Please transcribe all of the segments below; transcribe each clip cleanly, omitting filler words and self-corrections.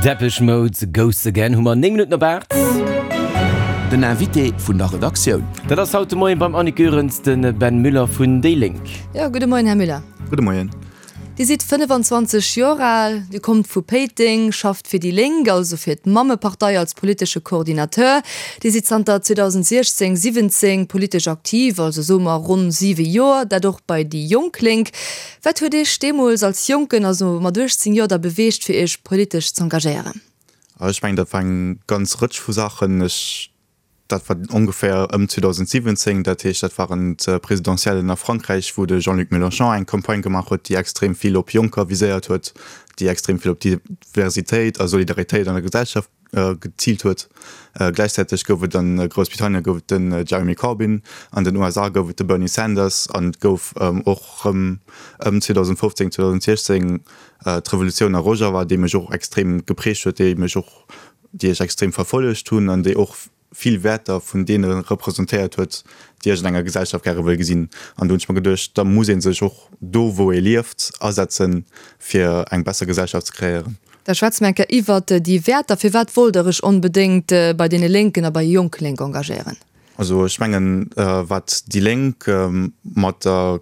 Depeche Mode, Ghosts Again hu mer 9 Minutten op 8. Den Invité vun der Redaktioun. Dat ass haut de Moien beim Annick Goerens de Ben Müller vun déi Lénk. Jo, gudde Moien, Här Müller. Gudde Moien. Dir sidd 25 Joer al, Dir kommt vu Péiteng, schafft fir déi Lénk, also fir d'Mammepartei als politesche Coordinateur. Dir sidd zanter 2016, 17 politesch aktiv, also soe mer ronn siwe Joer, dat och bei déi Jonk Lénk. Wat huet Iech deemools als Jonken, also mat 18 Joer, da beweegt fir Iech politesch z'engagéieren? Ech mengen, dat war eng ganz Rëtsch vu Saachen. Ech Dat war ongeféier ëm 2017, dat heescht, dat waren d'Presidentiellen a Frankräich, wou de Jean-Luc Mélenchon eng Campagne gemaach huet, déi extrem vill op Jonker viséiert huet, déi extrem vill op Diversitéit a Solidaritéit an der Gesellschaft geziilt huet. Gläichzäiteg gouf et a Groussbritannien gouf et den Jeremy Corbyn, an den USA gouf et de Bernie Sanders an et gouf och rëm ëm 2015, 2016 d'Revolutioun a Rojava, déi mech och extrem geprägt huet, déi mech och déi ech extrem verfollegt hunn an déi och vill Wäerter vun deene representéiert huet, déi ech an enger Gesellschaft gäre wëll gesinn. An do hunn ech mer geduecht, da muss ee sech och do, wou ee lieft, asetzen, fir eng besser Gesellschaft ze kreéieren. Da schwätze mer eng Kéier iwwert déi Wäerter. Firwat wollt Der Iech onbedéngt bei deene Lénken a bei Jonk Lénk engagéieren? Also ech mengen, wat déi Lénk mat der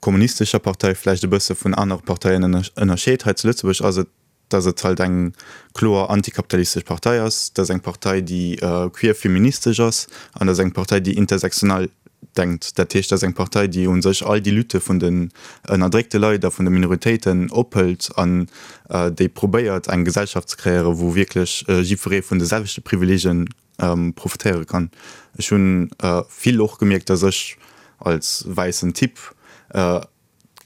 kommunistescher Partei vläicht e bësse vun anere Parteien ënnerscheet hei zu Lëtzebuerg, ass et, dass et halt eng kloer antikapitalistesch Partei ass, dass eng Partei, déi queer feministesch ass an dass eng Partei, déi intersektional denkt. Dat heescht, dass eng Partei, déi u sech all déi Lutte vun den ënnerdréckte Leit a vun de Minoritéiten ophëlt an déi probéiert, eng Gesellschaft ze kreéieren, wou wierklech jiddweree vun de selwechte Privileegien profitéiere kann. Ech hu vill och gemierkt, dass ech als wäissen Typ,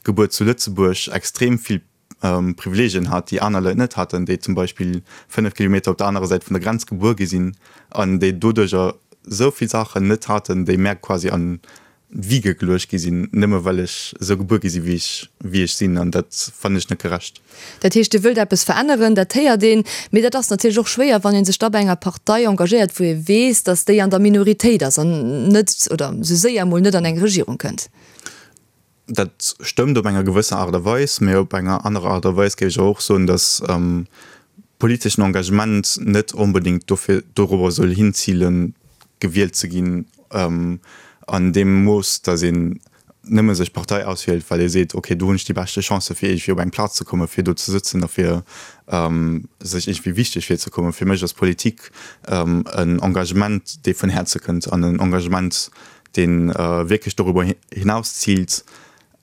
gebuer zu Lëtzebuerg, extrem vill Privileegien hat, déi aner Leit net haten, déi zum Beispill 5 Kilometer op der anerer Säit vun der Grenz gebuer gi sinn an déi doduercher esou vill Saachen net haten, déi mär quasi an d'Wige geluecht gi sinn, nëmme well ech esou gebuer gi sinn, wéi ech, wéi ech sinn. An dat fannen ech net gerecht. Dat heescht, Dir wëllt eppes veränneren, dat héiert een. Mee dat ass natierlech och schwéier, wann ee sech da bei enger Partei engagéiert, wou ee weess, datt déi an der Minoritéit ass an net oder esou séier emol net an eng Regierung kënnt. Dat stëmmt op enger gewësser Aart a Weis, mee op enger anerer Aart a Weis géif ech awer och soen, datt politeschen Engagement net onbedéngt dofir dorobber soll hinzilen, gewielt ze ginn an deem Mooss, datt een nëmme sech d'Partei auswielt, well ee seet, okay, do hunn ech déi beschte Chancë fir iergendwéi op eng Plaz ze kommen, fir do ze sëtzen a fir sech iergendwéi wichteg virzekommen. Fir mech ass Politik en Engagement, dee vun Häerze kënnt an en Engagement, dee wierklech dorüber hinaus ziilt,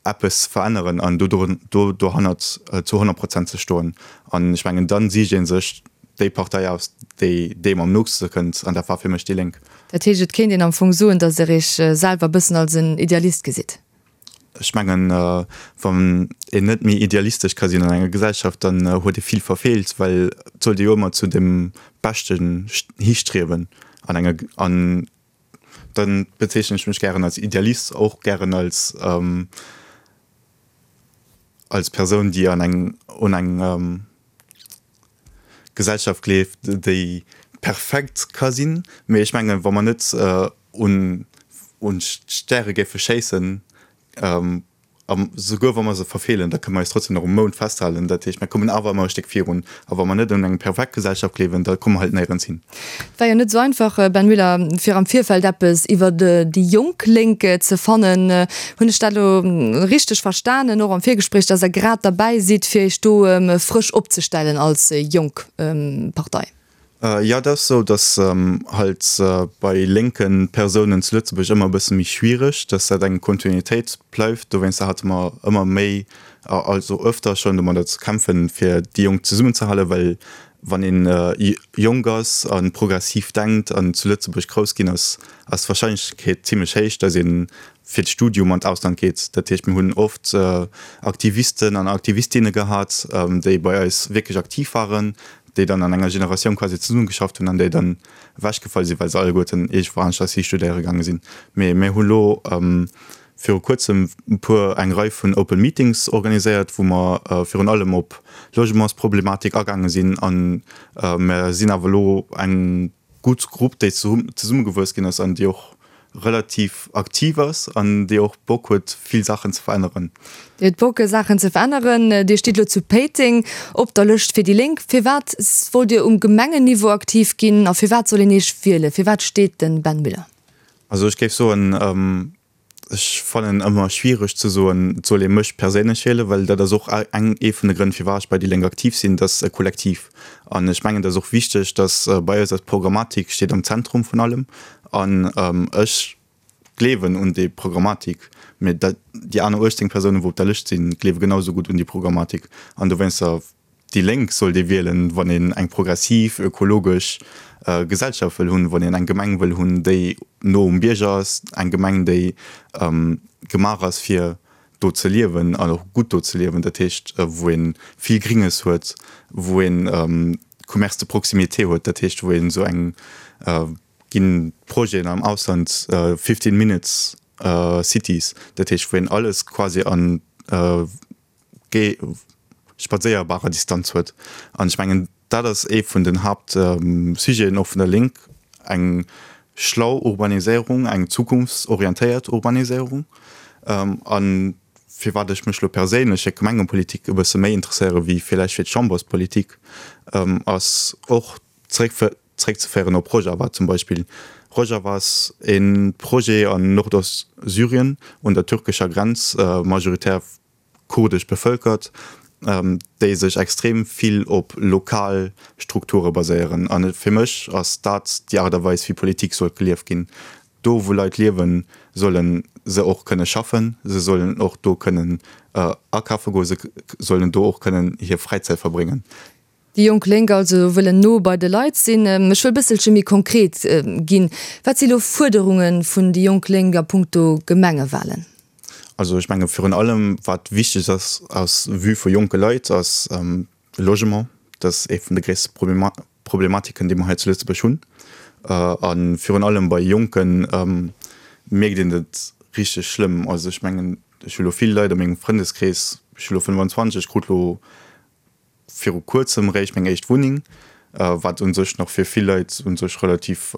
eppes ze veränneren an do dohannert zu 100 Prozent ze stoen. An ech mengen, da sicht ee sech déi Partei aus, déi deem am nootste kënnt, an dat war fir mech déi Lénk. Dat heescht, et kéint een am Fong soen, datt Der Iech selwer e bëssen als en Idealist gesitt? Ech mengen, wann een net méi idealistesch ka sinn an enger Gesellschaft, dann huet ee vill verfeelt, well et sollt ee jo ëmmer zu dem Beschten histriewen an enger, an Dann bezeechnen ech mech gären als Idealist, och gären als als Persoun, déi an eng un eng Gesellschaft gleeft, déi perfekt ka sinn. Mee ech mengen, wa mer net un un d'Stäre géife schéissen, A souguer wa mer se verfeelen, da kënne mer eis trotzdem nach um Mound festhalen. Dat heescht, mer kommen awer ëmmer e Stéck virun. A wa mer net un eng perfekt Gesellschaft gleewen, da komme mer halt néierens hin. Et war jo net esou einfach, Ben Müller, fir am Virfeld eppes iwwer déi jonk Lénk ze fannen. Hunn ech dat elo richteg verstanen, och am Virgespréich, dass Der grad derbäi sidd, fir Iech do frësch opzestellen als jonk Partei? Jo, et ass esou, datt halt bei lénke Persounen zu Lëtzebuerg ëmmer e bësse méi schwiereg, datt dat eng Kontinuitéit bleift. Dowéinster hate mer ëmmer méi, also öfter schonn domadder ze kämpfen, fir déi Jonk zesummenzehalen, well wann ee jonk ass a progressiv denkt an zu Lëtzebuerg grouss ginn ass, ass d'Warscheinlechkeet zimmlech héich, datt ee fir d'Studium an d'Ausland geet. Dat heescht, mir hunn oft Aktivisten an Aktivistinne gehat, déi bei eis wierklech aktiv waren, déi dann an enger Generatioun quasi zesummegeschafft hunn an déi dann ewechgefall sinn, well se alleguerten iergendwou aneschters hi studéiere gaange sinn. Mee mir hu lo viru kuerzem e puer, eng Rei vun Open Meetings organiséiert, wou mer virun allem op Logementsproblematik agaange sinn. A mer sinn awer elo eng gutt Grupp, déi zesummegewuess ginn ass an déi och. relativ aktiv ass an déi och Bock huet vill Saachen ze veränneren. Dir hutt Bock Saachen ze veränneren. Dir stitt elo zu Péiteng op der Lëscht fir déi Lénk. Firwat wollt Dir um Gemengenniveau aktiv ginn a firwat soll een Iech wielen? Firwat steet de Ben Müller? Also ech géif soen, Ech fannen ëmmer schwiereg ze soen, et soll ee mech perséinlech wielen, well dat ass och eng, ee vun de Grënn firwat ech bei déi Lénk aktiv sinn, dat ass e Kollektiv. An ech mengen, dat ass och wichteg, datt bei eis eis Programmatik steet am Zentrum vun allem. An ech gleewen un déi Programmatik, mee dat, déi aner 18 Persounen, wou op der Lëscht sinn, gleewe genau esou gutt un déi Programmatik. An dowéinster Déi Lénk sollt ee wielen, wann een eng progressiv, ökologesch Gesellschaft wëll hunn, wann een eng Gemeng wëll hunn, déi no um Bierger ass, eng Gemeng, déi gemaach ass, fir do ze liewen an och gutt do ze liewen, dat heescht, wou ee vill Gringes huet, wou ee Commerce de proximité huet, dat heescht, wou een esou eng ginn Projeten am Ausland, 15 minutes cities, dat heescht, wou een alles quasi an spadséierbarer Distanz huet. An ech mengen, dat ass ee vun den Haaptsujeten och vun der Lénk, eng schlau Urbaniséierung, eng zukunftsorientéiert Urbaniséierung. A firwat ech mech elo perséinlech fir d'Gemengepolitik e bësse méi interesséiere wéi villäicht fir d'Chamberspolitik, ass och zeréckzeféieren op Rojava zum Beispill. Rojava ass e Projet an Nordost-Syrien un der türkescher Grenz, majoritär kurdesch bevëlkert, déi sech extrem vill op lokal Strukture baséieren. A fir mech ass dat déi Aart a Weis, wéi Politik sollt gelieft ginn. Do wou Leit liewen, solle se och kënne schaffen, se sollen och do kënnen akafe goen, se sollen do och kënnen hir Fräizäit verbréngen. Déi jonk Lénk also wëllen no bei de Leit sinn. Ech wëll bësselche méi konkret ginn. Wat si lo Fuerderunge vun déi jonk Lénk a punkto Gemengewalen? Also ech menge virun allem wat wichteg ass aus Vue vu jonke Leit ass Logement. Dat ass ee vun de gréisste Problematiken déi mer hei zu Lëtzebuerg hunn. A virun allem bei Jonke mierkt een dat richteg schlëmm. Also ech mengen ech hu lo vill Leit a mengem Frëndeskrees, ech hu lo 25, ech krut lo viru kuerzem réischt meng éischt Wunneng, wat u sech nach fir vill Leit u sech relativ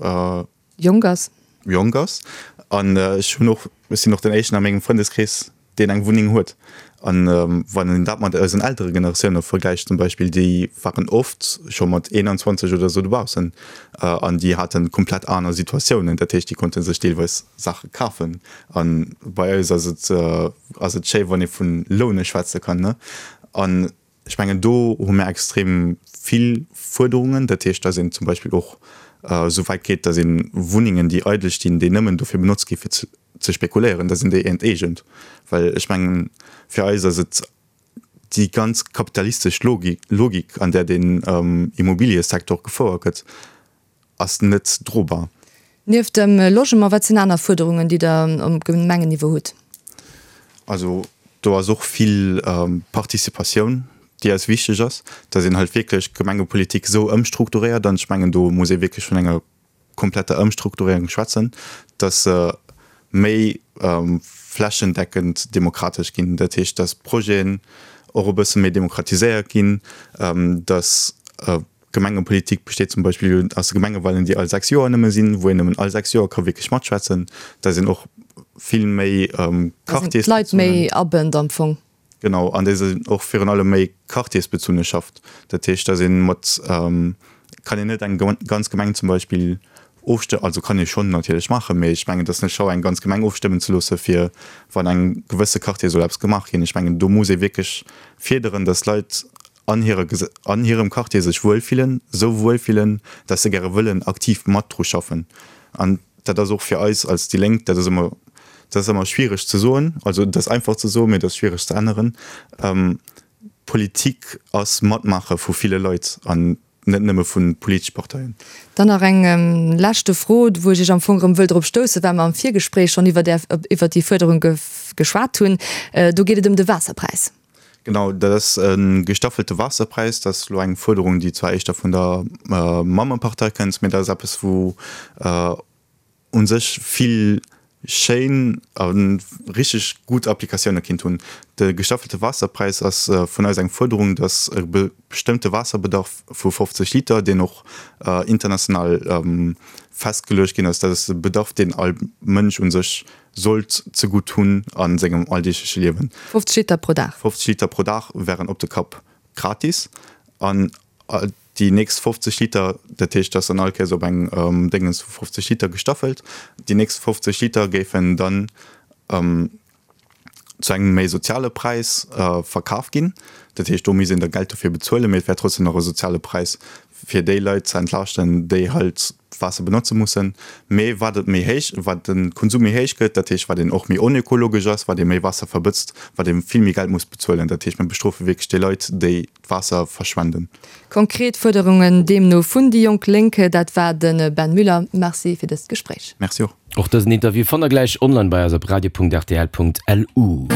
jonk ass. Jonk ass. An ech hunn och, ech sinn och den éischten a mengem Frëndeskrees, deen eng Wunneng huet. An wann een dat mat eisen eltere Generatioune vergläicht zum Beispill, déi waren oft scho mat 21 oder esou dobaussen an déi hate komplett aner Situatiounen. Dat heescht, déi konnte sech deelweis Saache kafen. A bei eis ass et, ass et schéi, wann ee vu Loune schwätze kann, ne? An ech mengen, do hu mir extrem vill Fuerderungen. Dat heescht, dass een zum Beispill och esou wäit geet, dass ee Wunnengen, déi eidel stinn, déi nëmmen dofir benotzt gi fir ze spekuléieren, dass een déi enteegent. Well ech mengen, fir eis ass et déi ganz kapitalistesch Logik, an där den Immobiliësecteur gefouert gëtt, ass net drobar. Nieft dem Logement, wat sinn aner Fuerderungen, déi Der um Gemengenniveau hutt? Also do ass och vill Participatioun, déi eis wichteg ass, dass een halt wierklech d'Gemengepolitik esou ëmstrukturéiert, an ech mengen do muss ee wierklech vun enger kompletter Ëmstrukturéierung schwätzen, dass se méi flächendeckend demokratesch ginn. Dat heescht, dass d'Projeten och e bësse méi demokratiséiert ginn, dass Gemengepolitik besteet zum Beispill aus de Gemengewalen, déi all 6 Joer nëmme sinn, wou een nëmmen all 6 Joer ka wierklech matschwätzen. Da sinn och vill méi Quartiers. D'Leit méi abënnt am Fong. Genau, an déi sinn och virun allem méi quartiersbezunne schafft. Dat heescht, dass ee mat, kann een net eng ganz Gemeng zum Beispill ofstëmmen, also kann ee schonn natierlech maachen, mee ech mengen, et ass net schlau, eng ganz Gemeng ofstëmmen ze loosse fir wann engem gewësse Quartier soll eppes gemaach ginn. Ech mengen, do muss ee wierklech fierderen, dass d'Leit an hire an hirem Quartier sech wuel fillen, esou wuel fillen, dass se gäre wëllen aktiv mat dru schaffen. An dat ass och fir eis als déi Lénk, dat ass ëmmer, dat ass ëmmer schwiereg ze soen, also et ass einfach ze soen, mee et ass schwiereg ze änneren, Politik ass Matmaache vu ville Leit an net nëmme vu politesche Parteien. Dann nach eng leschte Fro, wou ech Iech am Fong erëm wëll drop stoussen, well mer am Virgespréich schonn iwwer där, iwwer déi Fuerderung geschwat hunn. Do geet et ëm de Waasserpräis. Genau, dat ass e gestaffelte Waasserpräis. Dat ass elo eng Fuerderung, déi zwar éischter vun der Mammepartei kënnt, mee dat ass eppes, wou u sech vill. schéin a richteg gutt Applikatioune kinnt hunn. De gestaffelte Waasserpräis ass vun eis eng Fuerderung, datt e bestëmmte Waasserbedarf vu 50 Liter, deen och international festgeluecht ginn ass, dat ass de Bedarf, deen all Mënsch u sech sollt zegutt hunn a sengem alldeegleche Liewen. 50 Liter pro Dag. 50 Liter pro Dag wären op de Kapp gratis. An déi nächst 50 Liter, dat heescht, dass dann all Kéiers op eng Déngens vu 50 Liter gestaffelt, déi nächst 50 Liter géifen dann zu engem méi soziale Präis verkaf ginn. Dat heescht, do misst een da Geld dofir bezuelen, mee et wär trotzdem nach e soziale Präis, fir déi Leit ze entlaaschten, déi halt Waasser benotze mussen. Mee wat et méi héich, wat de Konsum méi héich gëtt, dat heescht, wat een och méi onökologesch ass, wat ee méi Waasser verbëtzt, wat ee vill méi Geld muss bezuelen. Dat heescht, mir bestrofe wierklech déi Leit, déi d'Waasser verschwenden. Konkret Fuerderungen deemno vun déi jonk Lénk. Dat war de Ben Müller. Merci fir dëst Gespréich. Merci och. Och dësen Interview fannt der gläich online bei eis op radio.rtl.lu.